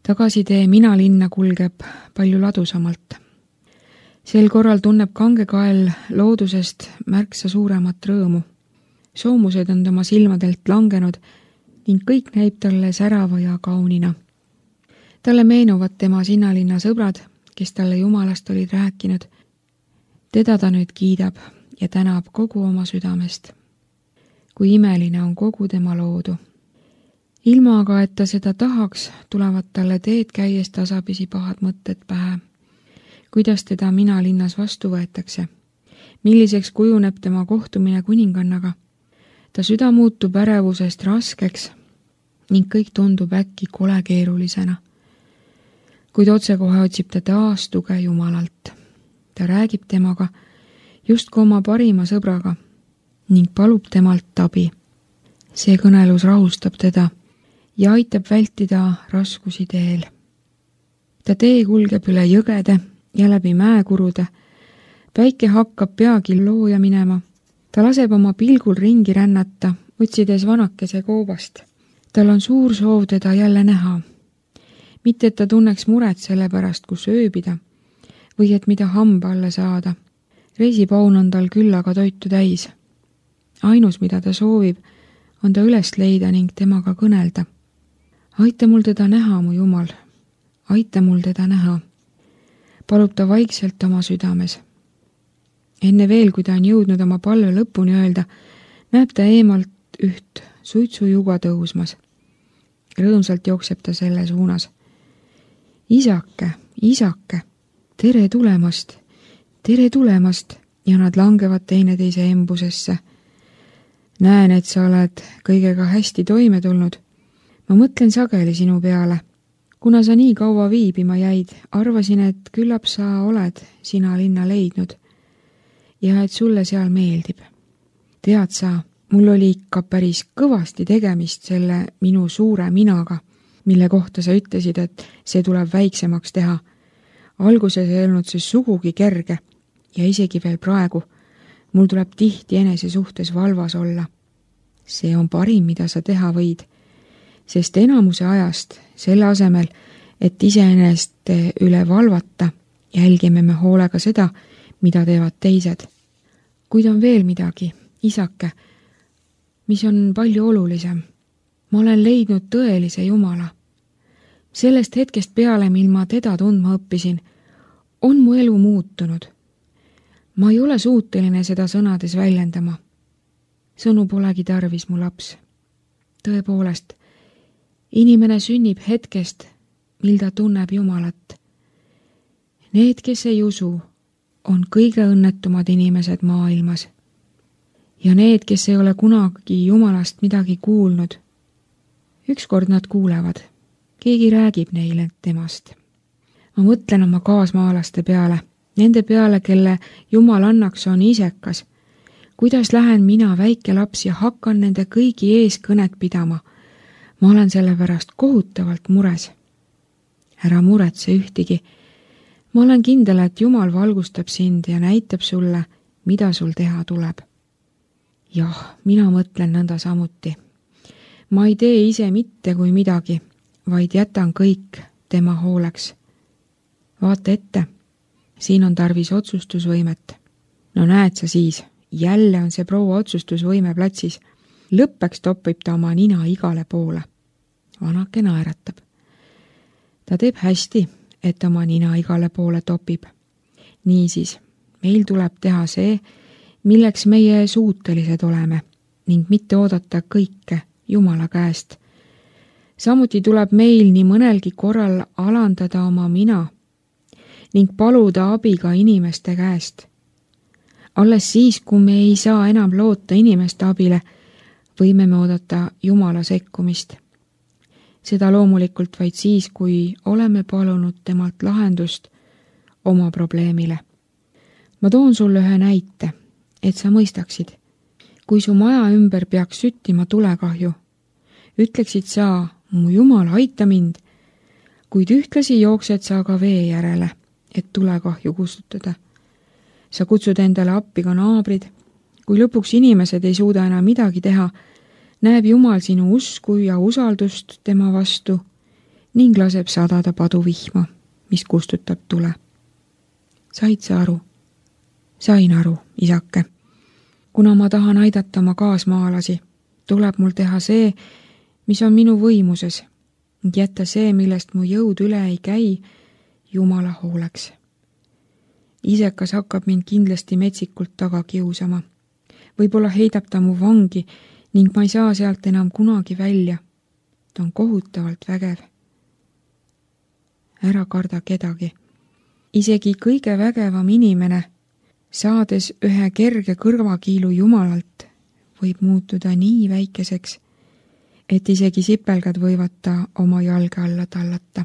Tagasitee mina linna kulgeb palju ladusamalt. Sel korral tunneb kangekael loodusest märksa suuremat rõõmu. Soomused on tema silmadelt langenud ning kõik näib talle särava ja kaunina. Talle meenuvad tema sinnalinna sõbrad, kes talle Jumalast olid rääkinud. Teda ta nüüd kiidab ja tänab kogu oma südamest. Kui imeline on kogu tema loodu. Ilma aga, et ta seda tahaks, tulevad talle teed käies tasapisi pahad mõtted pähe. Kuidas teda mina linnas vastu võetakse? Milliseks kujuneb tema kohtumine kuningannaga? Ta süda muutub ärevusest raskeks ning kõik tundub äkki kole keerulisena. Kuid otsekohe otsib ta taas tuge Jumalalt. Ta räägib temaga justkui oma parima sõbraga ning palub temalt abi. See kõnelus rahustab teda ja aitab vältida raskusi teel. Ta tee kulgeb üle jõgede ja läbi mäekurude. Päike hakkab peagi looja minema. Ta laseb oma pilgul ringi rännata, otsides vanakese koobast. Tal on suur soov teda jälle näha. Mitte, et ta tunneks muret selle pärast, kus ööbida või et mida hamba alla saada. Reisipaun on tal küll aga toitu täis. Ainus, mida ta soovib, on ta üles leida ning temaga kõnelda. Aita mul teda näha, mu Jumal. Aita mul teda näha. Palub ta vaikselt oma südames. Enne veel, kui ta on jõudnud oma palve lõpuni öelda, näeb ta eemalt üht suitsujuga tõusmas. Rõõmsalt jookseb ta selle suunas. Isake, isake, tere tulemast ja nad langevad teineteise embusesse. Näen, et sa oled kõigega hästi toime tulnud. Ma mõtlen sageli sinu peale. Kuna sa nii kaua viibima jäid, arvasin, et küllap sa oled sina linna leidnud ja et sulle seal meeldib. Tead sa, mul oli ikka päris kõvasti tegemist selle minu suure minaga, mille kohta sa ütlesid, et see tuleb väiksemaks teha. Alguses ei olnud see sugugi kerge ja isegi veel praegu. Mul tuleb tihti enese suhtes valvas olla. See on parim, mida sa teha võid, sest enamuse ajast selle asemel, et iseenest üle valvata, jälgime me hoolega seda, mida teevad teised. Kuid on veel midagi, isake, mis on palju olulisem. Ma olen leidnud tõelise Jumala. Sellest hetkest peale, mil ma teda tundma õppisin, on mu elu muutunud. Ma ei ole suuteline seda sõnades väljendama. Sõnu polegi tarvis, mu laps. Tõepoolest, inimene sünnib hetkest, mil ta tunneb Jumalat. Need, kes ei usu, on kõige õnnetumad inimesed maailmas. Ja need, kes ei ole kunagi Jumalast midagi kuulnud, ükskord nad kuulevad. Keegi räägib neile temast. Ma mõtlen oma kaasmaalaste peale, nende peale, kelle Jumalannaks on isekas. Kuidas lähen mina, väike laps, ja hakkan nende kõigi ees kõnet pidama? Ma olen selle pärast kohutavalt mures. Ära muretse ühtigi. Ma olen kindel, et Jumal valgustab sind ja näitab sulle, mida sul teha tuleb. Jah, mina mõtlen nõnda samuti. Ma ei tee ise mitte kui midagi, vaid jätan kõik tema hooleks. Vaata ette, siin on tarvis otsustusvõimet. No näed sa siis, jälle on see proua otsustusvõime platsis. Lõppeks topib ta oma nina igale poole. Vanake naeratab. Ta teeb hästi, et oma nina igale poole topib. Niisiis, meil tuleb teha see, milleks meie suutelised oleme, ning mitte oodata kõike Jumala käest. Samuti tuleb meil nii mõnelgi korral alandada oma mina ning paluda abi ka inimeste käest. Alles siis, kui me ei saa enam loota inimeste abile, võime me oodata Jumala sekkumist. Seda loomulikult vaid siis, kui oleme palunud temalt lahendust oma probleemile. Ma toon sulle ühe näite, et sa mõistaksid. Kui su maja ümber peaks süttima tulekahju, ütleksid sa, mu Jumal, aita mind, kuid ühtlasi jooksed sa ka vee järele, et tulekahju kustutada. Sa kutsud endale appi ka naabrid. Kui lõpuks inimesed ei suuda enam midagi teha, näeb Jumal sinu usku ja usaldust tema vastu ning laseb sadada paduvihma, mis kustutab tule. Said sa aru? Sain aru, isake. Kuna ma tahan aidata oma kaasmaalasi, tuleb mul teha see, mis on minu võimuses, ning jätta see, millest mu jõud üle ei käi, Jumala hooleks. Isekas hakkab mind kindlasti metsikult taga kiusama. Võib-olla heidab ta mu vangi ning ma ei saa sealt enam kunagi välja. Ta on kohutavalt vägev. Ära karda kedagi. Isegi kõige vägevam inimene, saades ühe kerge kõrvakiilu Jumalalt, võib muutuda nii väikeseks, et isegi sipelgad võivad ta oma jalge alla tallata.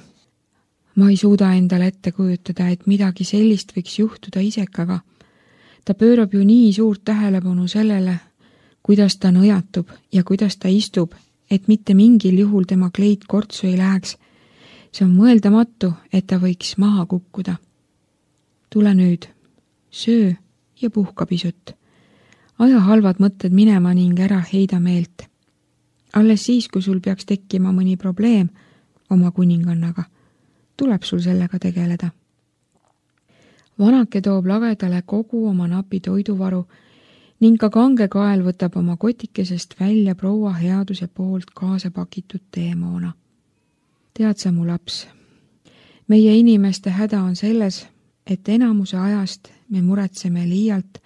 Ma ei suuda endale ette kujutada, et midagi sellist võiks juhtuda isekaga. Ta pöörab ju nii suurt tähelepanu sellele, kuidas ta nõjatub ja kuidas ta istub, et mitte mingil juhul tema kleit kortsu ei läheks. See on mõeldamatu, et ta võiks maha kukkuda. Tule nüüd, söö ja puhka pisut. Aja halvad mõtted minema ning ära heida meelt. Alles siis, kui sul peaks tekkima mõni probleem oma kuningannaga, tuleb sul sellega tegeleda. Vanake toob lagedale kogu oma napi toiduvaru ning ka kange kael võtab oma kotikesest välja proua headuse poolt kaasa pakitud teemoona. Tead sa, mu laps, meie inimeste häda on selles, et enamuse ajast me muretseme liialt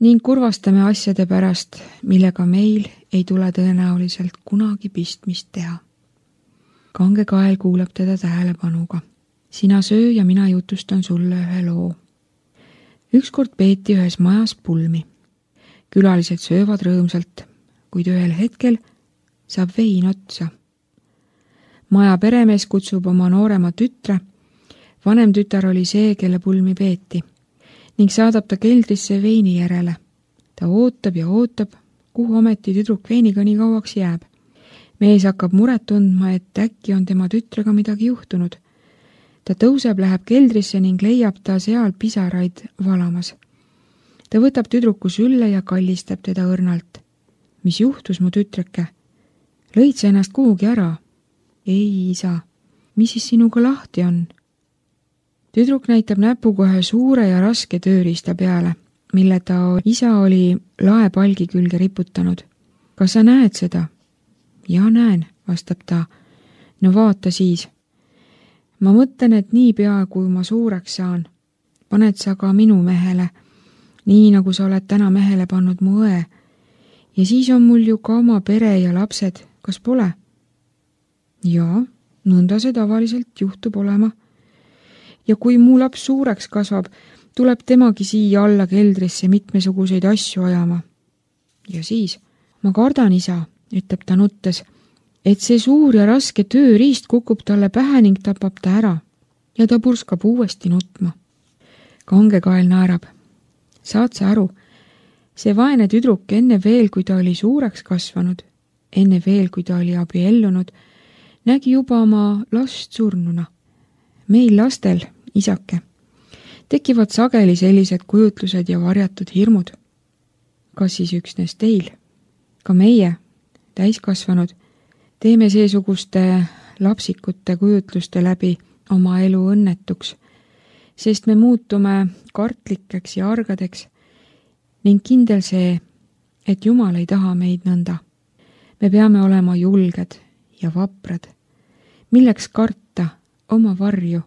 ning kurvastame asjade pärast, millega meil ei tule tõenäoliselt kunagi pistmist teha. Kange kael kuulab teda tähelepanuga. Sina söö ja mina jutustan sulle ühe loo. Ükskord peeti ühes majas pulmi. Külalised söövad rõõmsalt, kuid ühel hetkel saab vein otsa. Maja peremees kutsub oma noorema tütre. Vanem tütar oli see, kelle pulmi peeti, ning saadab ta keldrisse veini järele. Ta ootab ja ootab, kuhu ometi tüdruk veiniga nii kauaks jääb. Mees hakkab muret tundma, et äkki on tema tütrega midagi juhtunud. Ta tõuseb, läheb keldrisse ning leiab ta seal pisaraid valamas. Ta võtab tüdruku sülle ja kallistab teda õrnalt. Mis juhtus, mu tütreke? Lõid sa ennast kuhugi ära? Ei, isa. Mis siis sinuga lahti on? Tüdruk näitab näpuga ühe suure ja raske tööriista peale, mille ta isa oli laepalgi külge riputanud. Kas sa näed seda? Ja näen, vastab ta. No vaata siis. Ma mõtlen, et niipea, kui ma suureks saan, paned sa ka minu mehele, nii nagu sa oled täna mehele pannud mu õe. Ja siis on mul ju ka oma pere ja lapsed, kas pole? Jaa, nõnda see tavaliselt juhtub olema. Ja kui mu laps suureks kasvab, tuleb temagi siia alla keldrisse mitmesuguseid asju ajama. Ja siis, ma kardan, isa, ütleb ta nuttes, et see suur ja raske tööriist kukub talle pähe ning tapab ta ära. Ja ta purskab uuesti nutma. Kange kael naerab. Saad sa aru, see vaene tüdruk enne veel, kui ta oli suureks kasvanud, enne veel, kui ta oli abiellunud, nägi juba oma last surnuna. Meil lastel, isake, tekivad sageli sellised kujutlused ja varjatud hirmud. Kas siis üksnes teil? Ka meie, täiskasvanud, teeme seesuguste lapsikute kujutluste läbi oma elu õnnetuks, sest me muutume kartlikeks ja argadeks ning kindel see, et Jumal ei taha meid nõnda. Me peame olema julged ja vaprad. Milleks karta oma varju?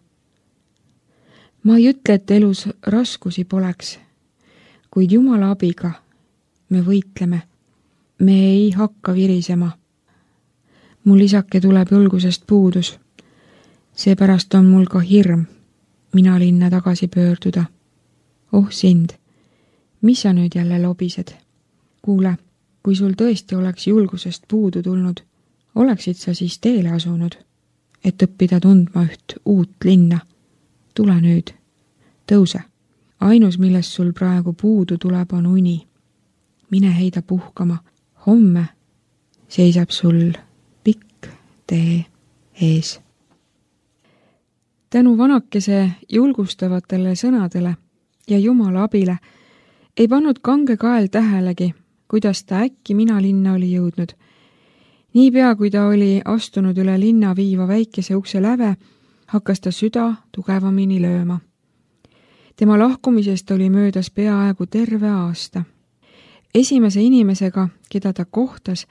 Ma ei ütle, et elus raskusi poleks, kuid Jumala abiga me võitleme. Me ei hakka virisema. Mul isake tuleb julgusest puudus. Seepärast on mul ka hirm mina linna tagasi pöörduda. Oh sind, mis sa nüüd jälle lobised? Kuule, kui sul tõesti oleks julgusest puudu tulnud, oleksid sa siis teele asunud, et õppida tundma üht uut linna. Tule nüüd, tõuse. Ainus, millest sul praegu puudu tuleb, on uni. Mine heida puhkama. Homme seisab sul pikk tee ees. Tänu vanakese julgustavatele sõnadele ja Jumala abile ei pannud kange kael tähelegi, kuidas ta äkki mina linna oli jõudnud Niipea, kui ta oli astunud üle linna viiva väikese ukse läve, hakkas ta süda tugevamini lööma. Tema lahkumisest oli möödas peaaegu terve aasta. Esimese inimesega, keda ta kohtas,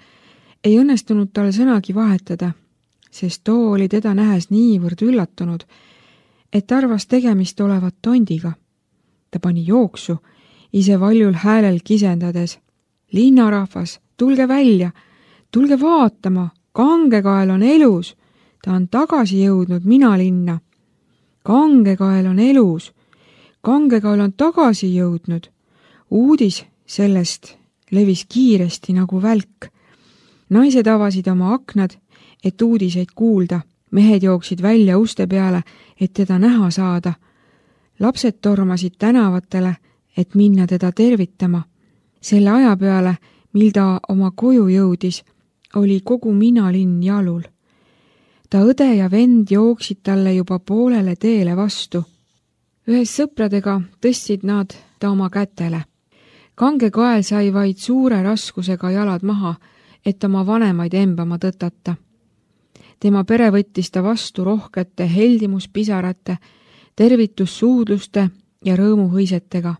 ei õnnestunud tal sõnagi vahetada, sest too oli teda nähes niivõrd üllatunud, et arvas tegemist olevat tondiga. Ta pani jooksu, ise valjul häälel kisendades. Linnarahvas, tulge välja, tulge vaatama, Kangekael on elus, ta on tagasi jõudnud mina linna. Kangekael on elus, Kangekael on tagasi jõudnud. Uudis sellest levis kiiresti nagu välk. Naised avasid oma aknad, et uudiseid kuulda. Mehed jooksid välja uste peale, et teda näha saada. Lapsed tormasid tänavatele, et minna teda tervitama. Selle aja peale, mil ta oma koju jõudis, oli kogu minalinn jalul. Ta õde ja vend jooksid talle juba poolele teele vastu. Ühes sõpradega tõstsid nad ta oma kätele. Kangekael sai vaid suure raskusega jalad maha, et oma vanemaid embama tõtata. Tema pere võttis ta vastu rohkete heldimuspisarate, tervitussuudluste ja rõõmuhõisetega.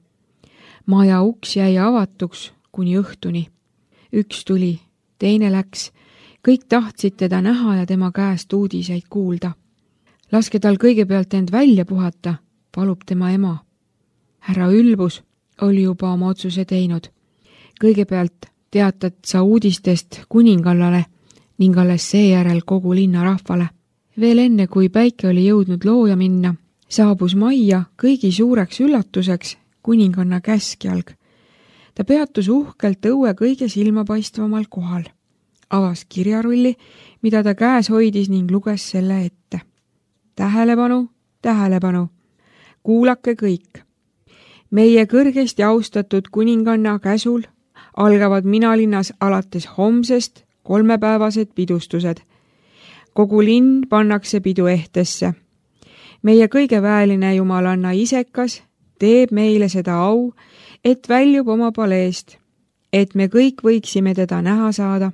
Maja uks jäi avatuks kuni õhtuni. Üks tuli, teine läks. Kõik tahtsid teda näha ja tema käest uudiseid kuulda. Laske tal kõigepealt end välja puhata, palub tema ema. Härra Ülbus oli juba oma otsuse teinud. Kõigepealt teatad sa uudistest kuningallale ning alles seejärel kogu linna rahvale. Veel enne, kui päike oli jõudnud looja minna, saabus majja kõigi suureks üllatuseks kuninganna käskjalg. Ta peatus uhkelt õue kõige silmapaistvamal kohal. Avas kirjarulli, mida ta käes hoidis ning luges selle ette. Tähelepanu, tähelepanu! Kuulake kõik! Meie kõrgesti austatud kuninganna käsul algavad minalinnas alates homsest 3-päevased pidustused. Kogu linn pannakse pidu ehtesse. Meie kõige väeline jumalanna isekas teeb meile seda au, et väljub oma paleest, et me kõik võiksime teda näha saada.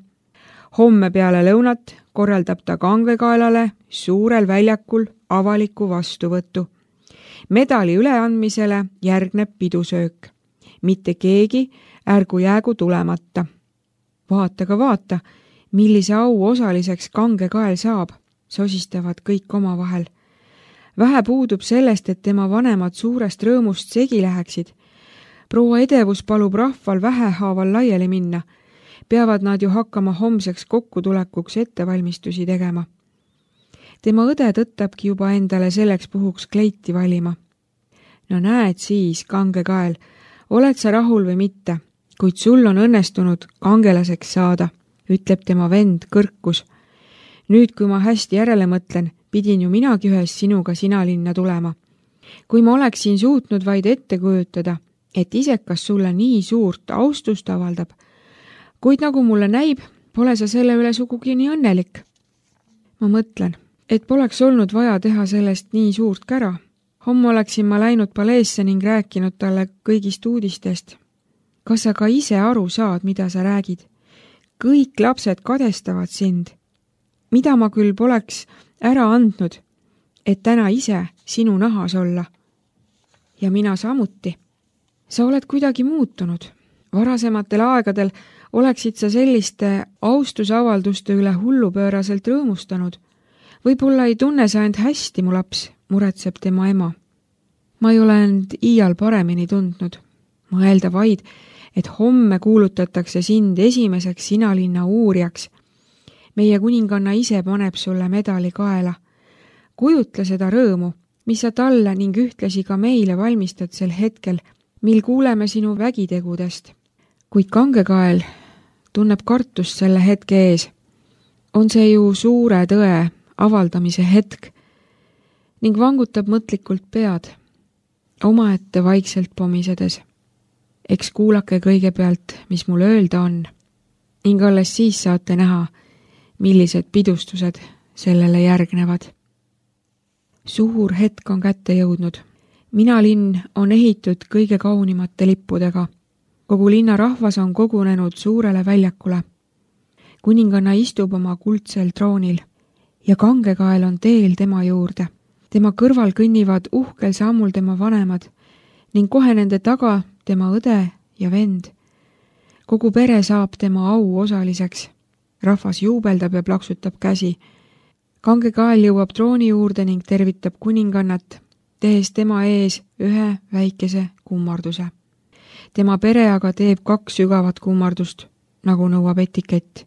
Homme peale lõunat korraldab ta Kangekaelale suurel väljakul avaliku vastuvõttu. Medali üleandmisele järgneb pidusöök. Mitte keegi ärgu jäägu tulemata. Vaata ka vaata, millise au osaliseks Kangekael saab, sosistavad kõik omavahel. Vähe puudub sellest, et tema vanemad suurest rõõmust segi läheksid. Proua Edevus palub rahval vähehaaval laiali minna. Peavad nad ju hakkama homseks kokkutulekuks ettevalmistusi tegema. Tema õde tõttabki juba endale selleks puhuks kleiti valima. No näed siis, Kangekael, oled sa rahul või mitte, kuid sul on õnnestunud kangelaseks saada, ütleb tema vend kõrkus. Nüüd, kui ma hästi järele mõtlen, pidin ju minagi ühes sinuga sinalinna tulema. Kui ma oleksin suutnud vaid ette kujutada, et isekas sulle nii suurt austust avaldab, kuid nagu mulle näib, pole sa selle üle sugugi nii õnnelik. Ma mõtlen, et poleks olnud vaja teha sellest nii suurt kära. Homme oleksin ma läinud paleesse ning rääkinud talle kõigist uudistest. Kas sa ka ise aru saad, mida sa räägid? Kõik lapsed kadestavad sind. Mida ma küll poleks ära andnud, et täna ise sinu nahas olla? Ja mina samuti. Sa oled kuidagi muutunud. Varasematel aegadel oleksid sa selliste austusavalduste üle hullupööraselt rõõmustanud. Võib-olla ei tunne sa end hästi, mu laps, muretseb tema ema. Ma ei ole end iial paremini tundnud. Mõelda vaid, et homme kuulutatakse sind esimeseks sinalinna uurijaks. Meie kuninganna ise paneb sulle medali kaela. Kujutle seda rõõmu, mis sa talle ning ühtlasi ka meile valmistad sel hetkel, mil kuuleme sinu vägitegudest. Kuid Kangekael tunneb kartust selle hetke ees. On see ju suure tõe avaldamise hetk ning vangutab mõtlikult pead, omaette vaikselt pomisedes. Eks kuulake kõigepealt, mis mul öelda on, ning alles siis saate näha, millised pidustused sellele järgnevad. Suur hetk on kätte jõudnud. Minalinn on ehitud kõige kaunimate lippudega. Kogu linna rahvas on kogunenud suurele väljakule. kuninganna istub oma kuldsel troonil ja kangekael on teel tema juurde. Tema kõrval kõnnivad uhkel sammul tema vanemad ning kohe nende taga tema õde ja vend. Kogu pere saab tema au osaliseks. Rahvas juubeldab ja plaksutab käsi. Kangekael jõuab trooni juurde ning tervitab kuningannat, tehes tema ees ühe väikese kummarduse. Tema pere aga teeb 2 sügavat kummardust, nagu nõuab etikett.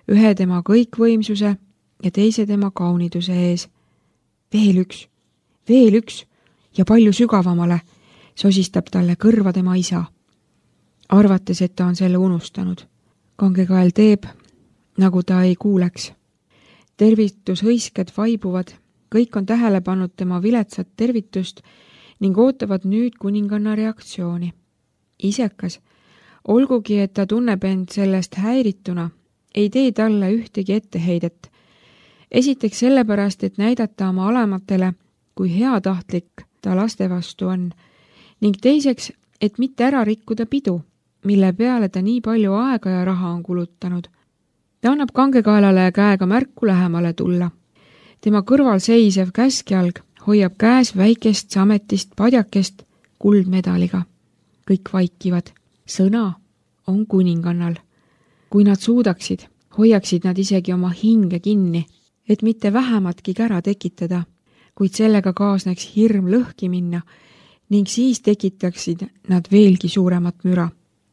Ühe tema kõikvõimsuse ja teise tema kauniduse ees. Veel üks ja palju sügavamale, sosistab talle kõrva tema isa. Arvates, et ta on selle unustanud. Kangekael teeb, nagu ta ei kuuleks. Tervitushõisked vaibuvad, kõik on tähele pannud tema viletsat tervitust ning ootavad nüüd kuninganna reaktsiooni. Isekas, olgugi, et ta tunneb end sellest häirituna, ei tee talle ühtegi etteheidet. Esiteks sellepärast, et näidata oma alamatele, kui heatahtlik ta laste vastu on, ning teiseks, et mitte ära rikkuda pidu, mille peale ta nii palju aega ja raha on kulutanud. Ta annab kangekaelale käega märku lähemale tulla. Tema kõrval seisev käskjalg hoiab käes väikest sametist padjakest kuldmedaliga. Kõik vaikivad. Sõna on kuningannal. Kui nad suudaksid, hoiaksid nad isegi oma hinge kinni, et mitte vähematki kära tekitada, kuid sellega kaasneks hirm lõhki minna ning siis tekitaksid nad veelgi suuremat müra.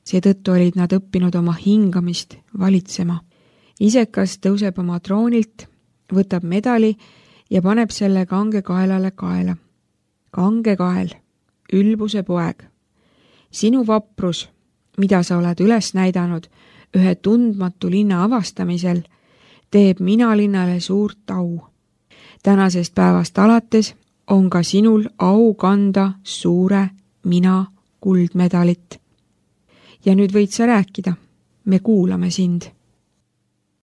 Seetõttu olid nad õppinud oma hingamist valitsema. Isekas tõuseb oma troonilt, võtab medali ja paneb selle kangekaelale kaela. Kangekael, ülbuse poeg. Sinu vaprus, mida sa oled üles näidanud ühe tundmatu linna avastamisel, teeb mina linnale suurt au. Tänasest päevast alates on ka sinul au kanda suure mina kuldmedalit. Ja nüüd võid sa rääkida, me kuulame sind.